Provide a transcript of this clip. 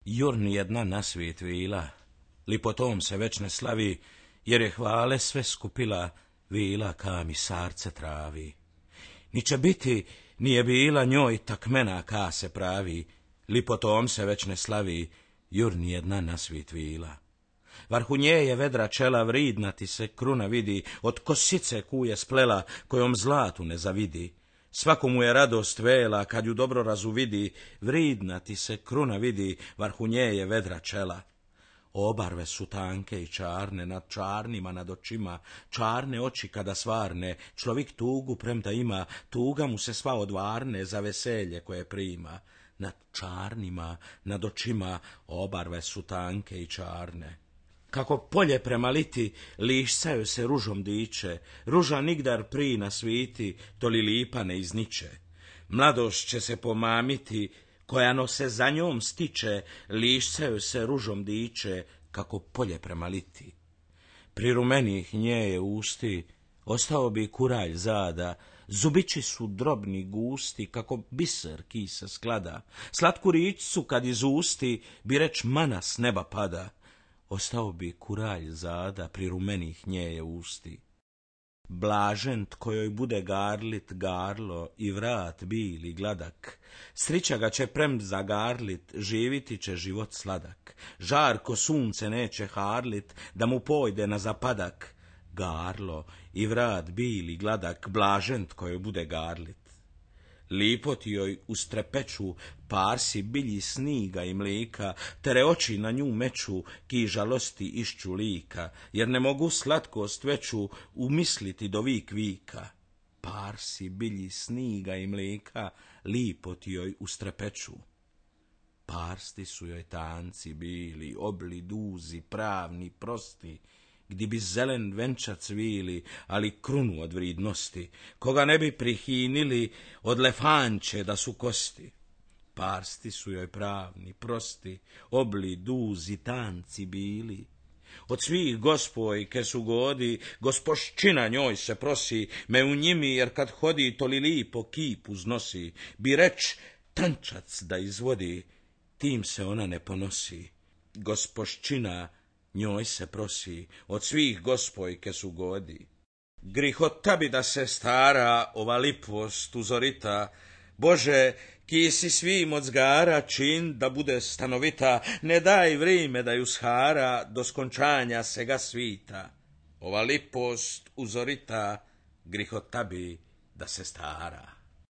Jur nijedna na svijet vila, lipotom se već ne slavi, jer je hvale sve skupila, vila ka mi sarce travi. Ni će biti, nije bila njoj takmena ka se pravi, lipotom se već ne slavi, jur nijedna na svijet vila. Varhu nje je vedra čela, vridna ti se kruna vidi, od kosice kuje splela, kojom zlatu ne zavidi. Svakomu je radost vela, kad ju dobro razuvidi, vridna ti se kruna vidi, varhu nje je vedra čela. Obarve su tanke i čarne, nad čarnima nad očima, čarne oči kada svarne, človik tugu premda ima, tuga mu se sva odvarne za veselje koje prima. Nad čarnima nad očima, obarve su tanke i čarne. Kako polje prema liti, lišcaju se ružom diče, ruža nigdar pri na sviti, to li lipa ne izniče. Mladost će se pomamiti, koja no se za njom stiče, lišcaju se ružom diče, kako polje prema liti. Pri rumenih nje je usti, ostao bi kuralj zada, zubići su drobni gusti, kako biser kisa sklada, slatku ričcu kad iz usti, bi reč mana s neba pada. Ostao bi kuralj zada, pri rumenih nje je usti. Blažen kojoj bude garlit garlo i vrat bili gladak, srića ga će prem zagarlit, živiti će život sladak. Žarko sunce neće harlit, da mu pojde na zapadak. Garlo i vrat bili gladak, blažen kojoj bude garlit. Lipo ti joj ustrepeću parsi bilji sniga i mlika, tere oči na nju meču, ki žalosti išću lika, jer ne mogu slatkost veću umisliti do vik vika. Parsi bilji sniga i mlika, lipo ti joj ustrepeću. Parsti su joj tanci bili, obli duzi, pravni, prosti, gdje bi zelen venčac cvili, ali krunu od vridnosti, koga ne bi prihinili od lefanče da su kosti. Parsti su joj pravni, prosti, obli, duzi, tanci bili. Od svih gospojke su godi, gospoščina njoj se prosi, me u njimi, jer kad hodi to li lipo kip uznosi, bi reč tančac da izvodi, tim se ona ne ponosi. Gospoščina njoj se prosi, od svih gospojke su godi. Grihota bi da se stara ova lipost uzorita, Bože, ki si svim od zgara čin da bude stanovita, ne daj vrime da ju shara do skončanja sega svita. Ova lipost uzorita, grihota bi da se stara.